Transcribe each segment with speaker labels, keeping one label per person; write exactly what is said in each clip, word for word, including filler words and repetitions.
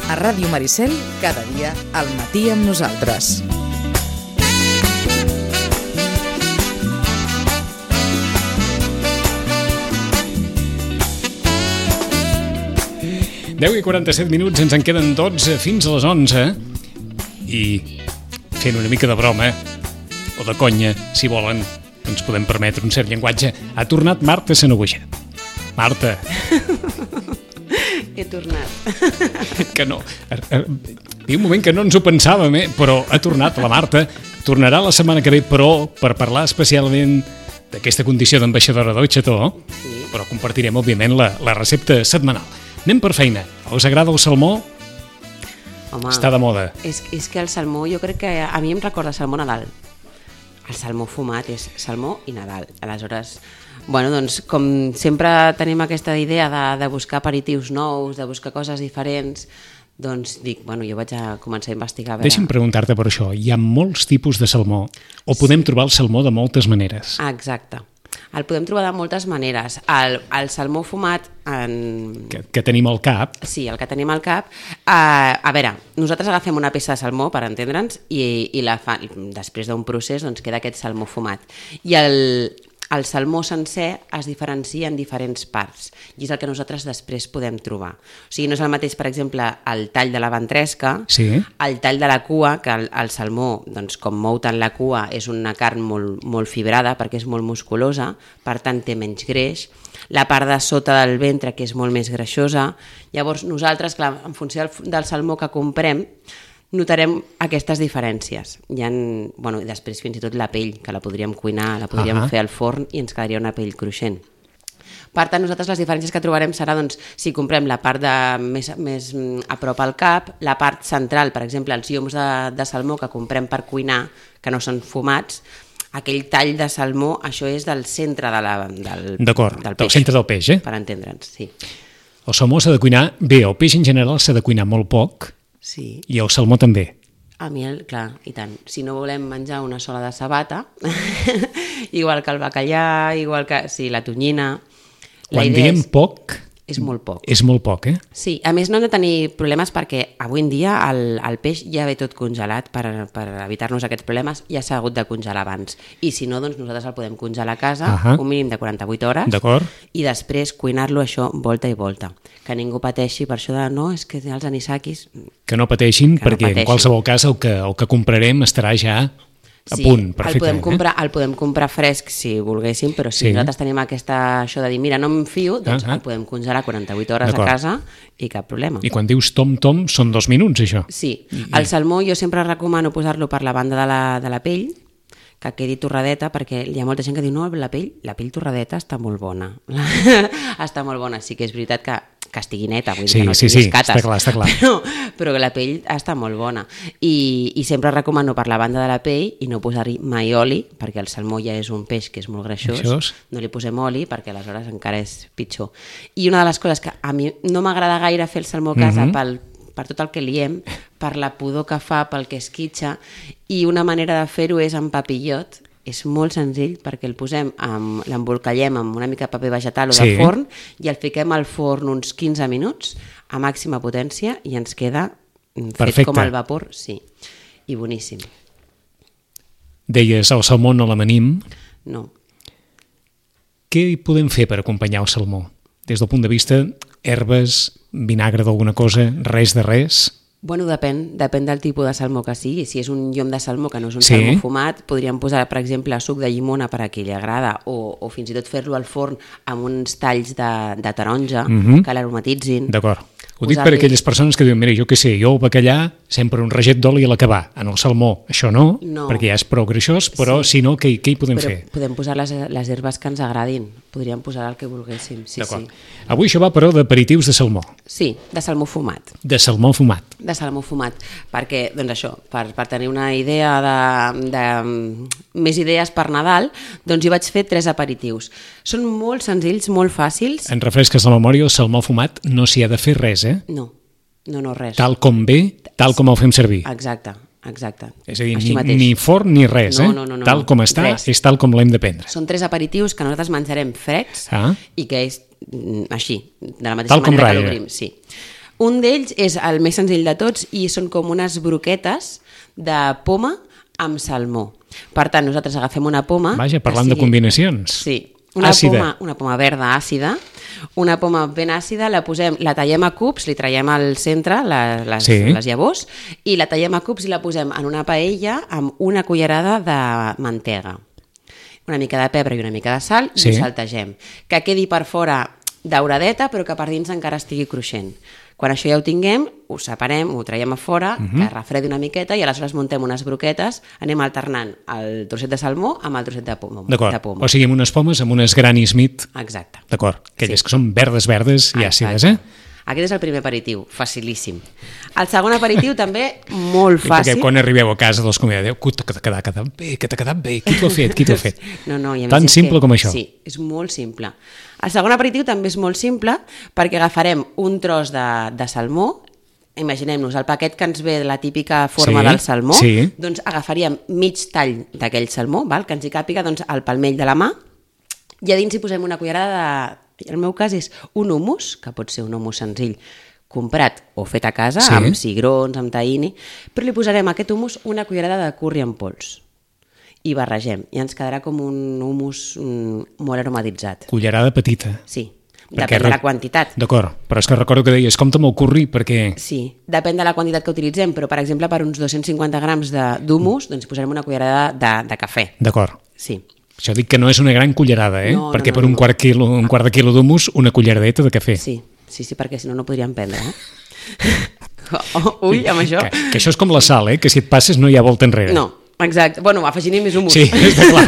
Speaker 1: A Ràdio Maricel, cada dia al matí amb nosaltres.
Speaker 2: deu i quaranta-set minuts, ens en queden dotze fins a les onze. I fent una mica de broma, o de conya, si volen, ens podem permetre un cert llenguatge. Ha tornat Marta Sanahuja. Marta.
Speaker 3: He tornat.
Speaker 2: Que no. Hi ha un moment que no ens ho pensàvem, eh? Però ha tornat la Marta. Tornarà la setmana que ve, però per parlar especialment d'aquesta condició d'ambaixadora del xató, sí. Però compartirem, òbviament, la, la recepta setmanal. Anem per feina. Us agrada el salmó?
Speaker 3: Home,
Speaker 2: està de moda.
Speaker 3: És, és que el salmó, jo crec que a mi em recorda salmó Nadal. El salmó fumat és salmó i Nadal. Aleshores, bueno, doncs, com sempre tenim aquesta idea de, de buscar aperitius nous, de buscar coses diferents, doncs dic, bueno, jo vaig a començar a investigar. A veure...
Speaker 2: Deixa'm preguntar-te per això. Hi ha molts tipus de salmó, o podem sí. trobar el salmó de moltes maneres.
Speaker 3: Ah, exacte. El podem trobar de moltes maneres. El, el salmó fumat... En...
Speaker 2: Que, que tenim al cap.
Speaker 3: Sí, el que tenim al cap. Uh, a veure, nosaltres agafem una peça de salmó, per entendre'ns, i, i la fa, després d'un procés doncs, queda aquest salmó fumat. I el, el salmó sencer es diferencia en diferents parts, i és el que nosaltres després podem trobar. O sigui, no és el mateix, per exemple, el tall de la ventresca, sí. el tall de la cua, que el, el salmó, doncs, com mou tant la cua, és una carn molt, molt fibrada, perquè és molt musculosa, per tant té menys greix, la part de sota del ventre, que és molt més greixosa. Llavors, nosaltres, clar, en funció del, del salmó que comprem, notarem aquestes diferències. Hi ha, bueno, després fins i tot la pell, que la podríem cuinar, la podríem uh-huh. fer al forn i ens quedaria una pell cruixent. Per tant, nosaltres les diferències que trobarem serà doncs, si comprem la part de, més, més a prop al cap, la part central, per exemple, els lloms de, de salmó que comprem per cuinar, que no són fumats, aquell tall de salmó, això és del centre de la, del,
Speaker 2: D'acord,
Speaker 3: del peix.
Speaker 2: Del centre del peix, eh?
Speaker 3: Per entendre'ns, sí.
Speaker 2: El salmó s'ha de cuinar bé, el peix en general s'ha de cuinar molt poc,
Speaker 3: sí.
Speaker 2: I el salmó també.
Speaker 3: A mi, el, clar, i tant. Si no volem menjar una sola de sabata, igual que el bacallà, igual que sí, la tonyina...
Speaker 2: Quan la diem és, poc...
Speaker 3: És molt poc.
Speaker 2: És molt poc, eh?
Speaker 3: Sí, a més no hem de tenir problemes perquè avui en dia el, el peix ja ve tot congelat per, per evitar-nos aquests problemes, ja s'ha hagut de congelar abans. I si no, doncs nosaltres el podem congelar a casa, uh-huh. un mínim de quaranta-vuit hores, i després cuinar-lo això volta i volta. Que ningú pateixi per això de no, és que els anisakis...
Speaker 2: Que no pateixin, que perquè no pateixin. En qualsevol cas el que, el que comprarem estarà ja... a sí, punt,
Speaker 3: el podem, comprar, eh? el podem comprar fresc si volguéssim, però si sí. nosaltres tenim aquesta, això de dir, mira, no em fio, doncs uh-huh. el podem congelar quaranta-vuit hores a casa i cap problema.
Speaker 2: I quan dius tom-tom, són dos minuts, això?
Speaker 3: Sí. I... El salmó jo sempre recomano posar-lo per la banda de la, de la pell, que quedi torradeta, perquè hi ha molta gent que diu, no, la pell, la pell torradeta està molt bona. Està molt bona, sí que és veritat que que estigui neta, vull dir
Speaker 2: sí,
Speaker 3: que no
Speaker 2: sí,
Speaker 3: tinguis
Speaker 2: sí,
Speaker 3: cates,
Speaker 2: està clar, està clar.
Speaker 3: Però, però que la pell està molt bona. I, I sempre recomano per la banda de la pell i no posar-hi mai oli, perquè el salmó ja és un peix que és molt greixós, Greixós. no li posem oli perquè aleshores encara és pitjor. I una de les coses que a mi no m'agrada gaire fer el salmó a casa mm-hmm. pel, per tot el que liem, per la pudor que fa, pel que esquitxa, i una manera de fer-ho és amb papillot. És molt senzill perquè el posem, amb, l'embolcallem amb una mica de paper vegetal o sí. de forn i el fiquem al forn uns quinze minuts a màxima potència i ens queda fet Perfecte. com al vapor, sí, i boníssim.
Speaker 2: Deies, el salmó no l'amanim.
Speaker 3: No.
Speaker 2: Què hi podem fer per acompanyar el salmó? Des del punt de vista, herbes, vinagre d'alguna cosa, res de res...
Speaker 3: Bueno, depèn, depèn del tipus de salmó que sigui. Si és un llom de salmó que no és un
Speaker 2: sí.
Speaker 3: salmó fumat, podríem posar, per exemple, suc de llimona per a qui li agrada, o, o fins i tot fer-lo al forn amb uns talls de, de taronja mm-hmm. que l'aromatitzin.
Speaker 2: D'acord. Ho dic per aquelles persones que diuen, mira, jo què sé, jo el bacallà sempre un raget d'oli a l'acabar. En el salmó això no,
Speaker 3: no,
Speaker 2: perquè ja és prou greixós, però sí. si no, què, què hi podem
Speaker 3: però
Speaker 2: fer?
Speaker 3: Podem posar les, les herbes que ens agradin. Podríem posar el que volguéssim, sí,
Speaker 2: D'acord.
Speaker 3: sí.
Speaker 2: Avui això va, però, d'aperitius de salmó.
Speaker 3: Sí, de salmó fumat.
Speaker 2: De salmó fumat.
Speaker 3: De salmó fumat, perquè, doncs això, per, per tenir una idea de, de més idees per Nadal, doncs jo vaig fer tres aperitius. Són molt senzills, molt fàcils.
Speaker 2: En refresques la memòria, el salmó fumat no s'hi ha de fer res, eh?
Speaker 3: No. No, no, res.
Speaker 2: Tal com ve, tal com el fem servir.
Speaker 3: Exacte, exacte.
Speaker 2: És a dir, ni, ni forn ni res,
Speaker 3: no,
Speaker 2: eh?
Speaker 3: No, no, no,
Speaker 2: tal com està,
Speaker 3: res.
Speaker 2: És tal com l'hem de prendre.
Speaker 3: Són tres aperitius que nosaltres menjarem freds ah. i que és així, de la mateixa
Speaker 2: tal
Speaker 3: manera que l'obrim. Sí. Un d'ells és el més senzill de tots i són com unes broquetes de poma amb salmó. Per tant, nosaltres agafem una poma...
Speaker 2: Vaja, parlant
Speaker 3: sigui,
Speaker 2: de combinacions.
Speaker 3: Sí, una
Speaker 2: àcida.
Speaker 3: poma, una poma verda àcida, una poma ben àcida, la posem, la tallem a cubs, li traiem al centre les, les,
Speaker 2: sí.
Speaker 3: les llavors i la tallem a cubs i la posem en una paella amb una cullerada de mantega, una mica de pebre i una mica de sal i
Speaker 2: sí.
Speaker 3: ho saltegem. Que quedi per fora dauradeta però que per dins encara estigui cruixent. Quan això ja ho tinguem, ho separem, ho traiem a fora, uh-huh. que refredi una miqueta i aleshores muntem unes broquetes, anem alternant el trosset de salmó amb el trosset de poma.
Speaker 2: D'acord,
Speaker 3: de poma.
Speaker 2: O sigui, amb unes pomes, amb unes Granny Smith.
Speaker 3: Exacte.
Speaker 2: D'acord, aquelles
Speaker 3: Sí.
Speaker 2: que són verdes, verdes i àcides, eh?
Speaker 3: Aquest és el primer aperitiu, facilíssim. El segon aperitiu també molt fàcil.
Speaker 2: Perquè quan arribeu a casa dels convidats, que t'ha quedat, quedat bé, que t'ha quedat bé, qui t'ho ha fet, qui t'ho ha fet?
Speaker 3: No, no, i a més
Speaker 2: Tan
Speaker 3: és
Speaker 2: simple
Speaker 3: que,
Speaker 2: com això.
Speaker 3: Sí, és molt simple. El segon aperitiu també és molt simple perquè agafarem un tros de, de salmó, imaginem-nos el paquet que ens ve de la típica forma
Speaker 2: sí,
Speaker 3: del salmó,
Speaker 2: sí.
Speaker 3: doncs agafaríem mig tall d'aquell salmó, val? Que ens hi càpiga doncs, el palmell de la mà, i a dins hi posem una cullerada de... En el meu cas és un hummus, que pot ser un hummus senzill, comprat o fet a casa,
Speaker 2: sí.
Speaker 3: amb cigrons, amb tahini, però li posarem a aquest hummus una cullerada de curri en pols. I barregem, i ens quedarà com un hummus mm, molt aromatitzat.
Speaker 2: Cullerada petita.
Speaker 3: Sí,
Speaker 2: Perquè
Speaker 3: depèn de la quantitat.
Speaker 2: D'acord, però és que recordo que deies, compta amb el curri perquè...
Speaker 3: Sí, depèn de la quantitat que utilitzem, però per exemple per uns dos-cents cinquanta grams d'humus doncs posarem una cullerada de, de cafè.
Speaker 2: D'acord.
Speaker 3: Sí.
Speaker 2: Això dic que no és una gran cullerada, eh?
Speaker 3: No,
Speaker 2: perquè
Speaker 3: no, no,
Speaker 2: per un
Speaker 3: no.
Speaker 2: quart, quilo, un quart de quilo d'humus, una culleradeta de cafè.
Speaker 3: Sí, sí, sí, perquè si no, no podríem prendre, eh? Ull, amb això...
Speaker 2: Que, que això és com la sal, eh? Que si et passes no hi ha volta enrere.
Speaker 3: No, exacte. Bueno, afegint-hi més humus.
Speaker 2: Sí, està clar.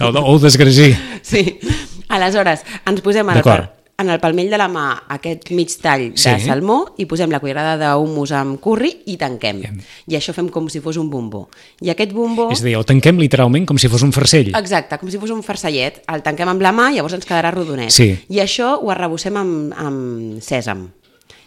Speaker 2: O, o desgrasir.
Speaker 3: Sí. Aleshores, ens posem en el, en el palmell de la mà aquest mig tall de
Speaker 2: Sí.
Speaker 3: salmó i posem la cullerada d'humus amb curri i tanquem. I això fem com si fos un bombó. I aquest bombó...
Speaker 2: És a dir, el tanquem literalment com si fos un farcell.
Speaker 3: Exacte, com si fos un farcellet. El tanquem amb la mà i llavors ens quedarà rodonet.
Speaker 2: Sí.
Speaker 3: I això ho arrebossem amb, amb sèsam.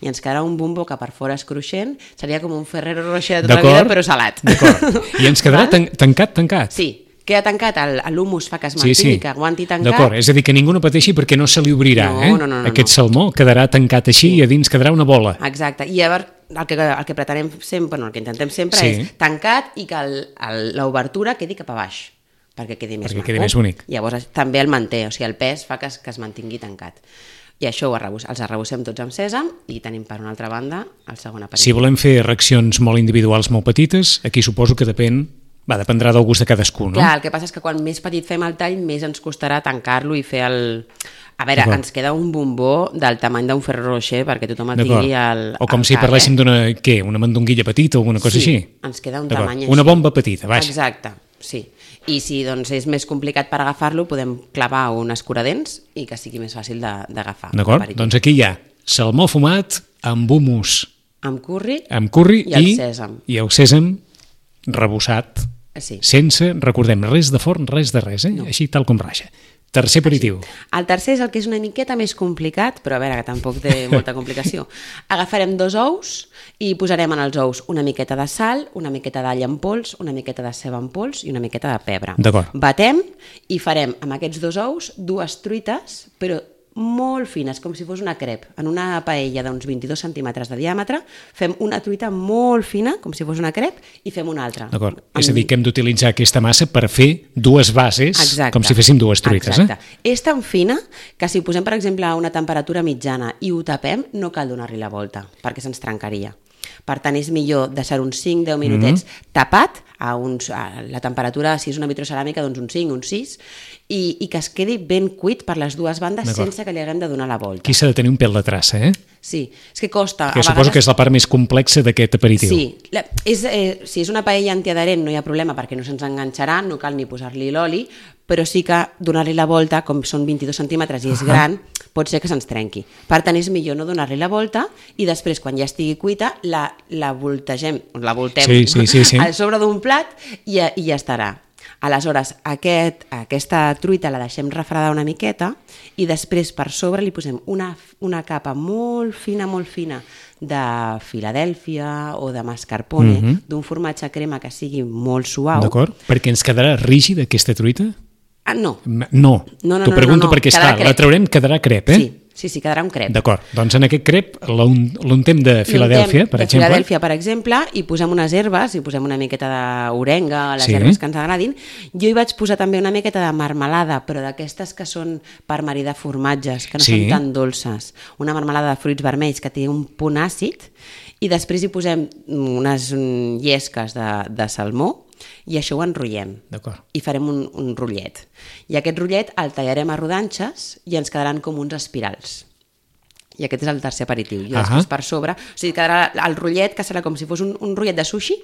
Speaker 3: I ens quedarà un bombó que per fora és cruixent, seria com un Ferrero Rocher de tota la vida, però salat.
Speaker 2: D'acord. I ens quedarà tan, tancat, tancat.
Speaker 3: Sí, queda tancat, l'humus fa que es mantingui, sí, sí. que aguanti tancat.
Speaker 2: D'acord, és a dir, que ningú no pateixi perquè no se li obrirà,
Speaker 3: no,
Speaker 2: eh?
Speaker 3: No, no, no,
Speaker 2: Aquest
Speaker 3: no.
Speaker 2: salmó quedarà tancat així sí. I a dins quedarà una bola.
Speaker 3: Exacte, i llavors el que, el que pretenem sempre, no, el que intentem sempre
Speaker 2: sí.
Speaker 3: és tancat i que l'obertura quedi cap a baix, perquè quedi més
Speaker 2: perquè
Speaker 3: maco.
Speaker 2: quedi més bonic.
Speaker 3: Llavors també el manté, o sigui, el pes fa que es, que es mantingui tancat. I això ho arrebus, els arrebossem tots amb sèsam i tenim per una altra banda el segon aperitiu.
Speaker 2: Si volem fer reaccions molt individuals, molt petites, aquí suposo que depèn, va, dependrà del gust de cadascú, no?
Speaker 3: Clar, el que passa és que quan més petit fem el tall, més ens costarà tancar-lo i fer el... A veure, ens queda un bombó del tamany d'un Ferrero Rocher perquè tothom el tingui al,
Speaker 2: o com
Speaker 3: al
Speaker 2: si
Speaker 3: cap,
Speaker 2: parléssim
Speaker 3: eh?
Speaker 2: d'una, què, una mandonguilla petita o alguna cosa
Speaker 3: sí,
Speaker 2: així?
Speaker 3: Ens queda un tamany així.
Speaker 2: Una bomba petita, vaja.
Speaker 3: Exacte, sí. I si doncs, és més complicat per agafar-lo, podem clavar un escuradents i que sigui més fàcil d'agafar.
Speaker 2: D'acord, doncs aquí hi ha salmó fumat amb humus.
Speaker 3: Amb curri,
Speaker 2: amb curri
Speaker 3: i el
Speaker 2: i,
Speaker 3: sèsam.
Speaker 2: I el sèsam rebossat,
Speaker 3: sí.
Speaker 2: sense, recordem, res de forn, res de res, eh? No. Així tal com raja. Tercer aperitiu.
Speaker 3: Així. El tercer és el que és una miqueta més complicat, però a veure, que tampoc té molta complicació. Agafarem dos ous i posarem en els ous una miqueta de sal, una miqueta d'all en pols, una miqueta de ceba en pols i una miqueta de pebre.
Speaker 2: D'acord.
Speaker 3: Batem i farem amb aquests dos ous dues truites, però molt fines, com si fos una crep. En una paella d'uns vint-i-dos centímetres de diàmetre fem una truita molt fina, com si fos una crep, i fem una altra.
Speaker 2: D'acord. És a dir, que hem d'utilitzar aquesta massa per fer dues bases,
Speaker 3: Exacte.
Speaker 2: Com si féssim dues truites.
Speaker 3: Exacte.
Speaker 2: Eh?
Speaker 3: És tan fina que si ho posem, per exemple, a una temperatura mitjana i ho tapem, no cal donar-li la volta, perquè se'ns trencaria. Per tant, és millor deixar uns cinc a deu minutets mm-hmm. tapat, a, uns, a la temperatura, si és una vitroceràmica, doncs uns cinc, uns sis, i, i que es quedi ben cuit per les dues bandes sense que li haguem de donar la volta.
Speaker 2: Aquí s'ha de tenir un pèl de traça, eh?
Speaker 3: Sí, és que costa...
Speaker 2: Que suposo vegades... que és la part més complexa d'aquest aperitiu.
Speaker 3: Sí, la, és, eh, si és una paella antiadherent no hi ha problema perquè no se'ns enganxarà, no cal ni posar-li l'oli, però sí que donar-li la volta, com són vint-i-dos centímetres i és uh-huh. gran, pot ser que se'ns trenqui. Per tant, és millor no donar-li la volta i després, quan ja estigui cuita, la, la voltegem, la voltem
Speaker 2: sí, sí, sí, sí.
Speaker 3: al sobre d'un plat i, i ja estarà. Aleshores, aquest, aquesta truita la deixem refredar una miqueta i després per sobre li posem una, una capa molt fina, molt fina de Filadèlfia o de mascarpone, mm-hmm. d'un formatge crema que sigui molt suau.
Speaker 2: D'acord, perquè ens quedarà rígida aquesta truita?
Speaker 3: Ah, no.
Speaker 2: No,
Speaker 3: no, no
Speaker 2: t'ho pregunto
Speaker 3: no, no, no.
Speaker 2: perquè, esclar, la traurem, quedarà crep, eh?
Speaker 3: Sí, Sí, sí, quedarà un crep.
Speaker 2: D'acord, doncs en aquest crep l'un- l'untem de Filadèlfia, per
Speaker 3: de
Speaker 2: exemple.
Speaker 3: Filadèlfia, per exemple, i posem unes herbes, i posem una miqueta d'orenga, les
Speaker 2: Sí.
Speaker 3: herbes que ens agradin. Jo hi vaig posar també una miqueta de marmelada, però d'aquestes que són per maridar formatges, que no
Speaker 2: Sí.
Speaker 3: són tan dolces. Una marmelada de fruits vermells que té un punt àcid, i després hi posem unes mm, llesques de, de salmó, i això ho enrotllem.
Speaker 2: D'acord.
Speaker 3: I farem un, un rotllet. I aquest rotllet el tallarem a rodanxes i ens quedaran com uns espirals. I aquest és el tercer aperitiu. I després per sobre, o sigui, quedarà el rotllet, que serà com si fos un, un rotllet de sushi,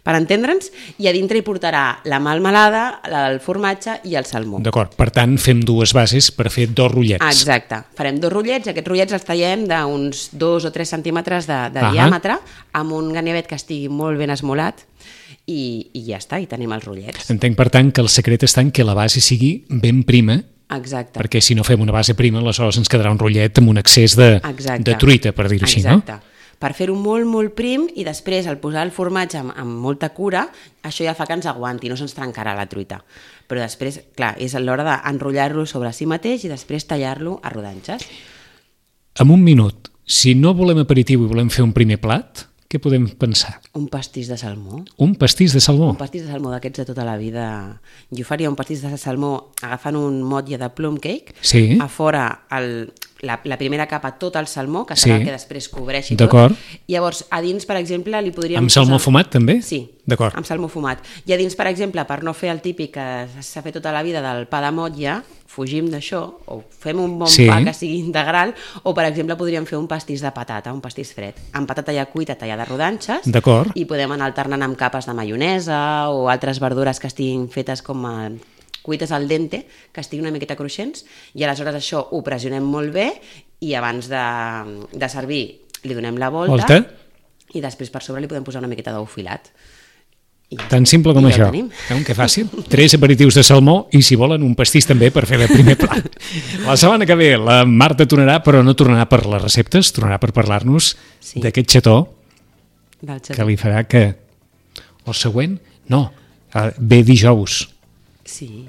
Speaker 3: per entendre'ns, i a dintre hi portarà la melmelada, el formatge i el salmó.
Speaker 2: D'acord, per tant fem dues bases per fer dos rotllets.
Speaker 3: Exacte. Farem dos rotllets, i aquests rotllets els tallem d'uns dos o tres centímetres de, de
Speaker 2: Ahà.
Speaker 3: diàmetre, amb un ganivet que estigui molt ben esmolat, i, i ja està, i tenim els rotllets.
Speaker 2: Entenc, per tant, que el secret està en que la base sigui ben prima,
Speaker 3: Exacte.
Speaker 2: perquè si no fem una base prima, aleshores ens quedarà un rotllet amb un excés de,
Speaker 3: Exacte.
Speaker 2: de truita, per dir-ho així, no?
Speaker 3: Exacte. Per fer-ho molt, molt prim, i després al posar el formatge amb, amb molta cura, això ja fa que ens aguanti, no se'ns trencarà la truita. Però després, clar, és l'hora d'enrotllar-lo sobre si mateix i després tallar-lo a rodanxes.
Speaker 2: En un minut, si no volem aperitiu i volem fer un primer plat, què podem pensar?
Speaker 3: Un pastís de salmó.
Speaker 2: Un pastís de salmó.
Speaker 3: Un pastís de salmó d'aquests de tota la vida. Jo faria un pastís de salmó agafant un motlle de plum cake,
Speaker 2: Sí.
Speaker 3: a fora el, la, la primera capa tot el salmó, que serà
Speaker 2: Sí.
Speaker 3: el que després cobreixi tot.
Speaker 2: D'acord.
Speaker 3: Llavors, a dins, per exemple, li podríem
Speaker 2: Amb salmó
Speaker 3: posar...
Speaker 2: fumat, també?
Speaker 3: Sí,
Speaker 2: D'acord.
Speaker 3: amb salmó fumat. I a dins, per exemple, per no fer el típic que s'ha fet tota la vida del pa de motlle, fugim d'això, o fem un bon
Speaker 2: Sí.
Speaker 3: pa que sigui integral, o, per exemple, podríem fer un pastís de patata, un pastís fred, amb patata ja cuita tallada a rodanxes,
Speaker 2: D'acord.
Speaker 3: i podem anar alternant amb capes de maionesa o altres verdures que estiguin fetes com a cuites al dente, que estiguin una miqueta cruixents, i aleshores això ho pressionem molt bé, i abans de, de servir li donem la volta,
Speaker 2: Volta.
Speaker 3: i després per sobre li podem posar una miqueta d'ou filat. I ja
Speaker 2: Tan
Speaker 3: està.
Speaker 2: simple com
Speaker 3: I ja
Speaker 2: això.
Speaker 3: ho tenim.
Speaker 2: Veuen que fàcil? Tres aperitius de salmó i, si volen, un pastís també per fer de primer plat. La setmana que ve la Marta tornarà, però no tornarà per les receptes, tornarà per parlar-nos
Speaker 3: Sí.
Speaker 2: d'aquest xató
Speaker 3: Del xató.
Speaker 2: que li farà que... El següent? No, eh, ve dijous.
Speaker 3: Sí.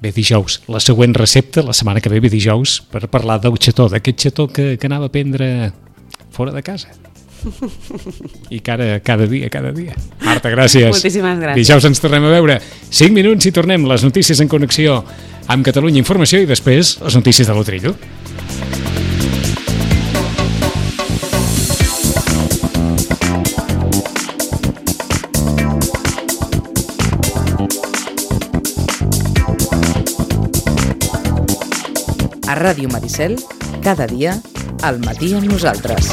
Speaker 2: Ve dijous. La següent recepta, la setmana que ve, ve dijous, per parlar del xató, d'aquest xató que, que anava a prendre fora de casa. I cada, cada dia, cada dia. Marta, gràcies.
Speaker 3: Moltíssimes gràcies.
Speaker 2: Dijous ens tornem a veure. cinc minuts i tornem. Les notícies en connexió amb Catalunya Informació i després les notícies de l'Otrillo.
Speaker 1: A Ràdio Maricel, cada dia, al matí amb nosaltres.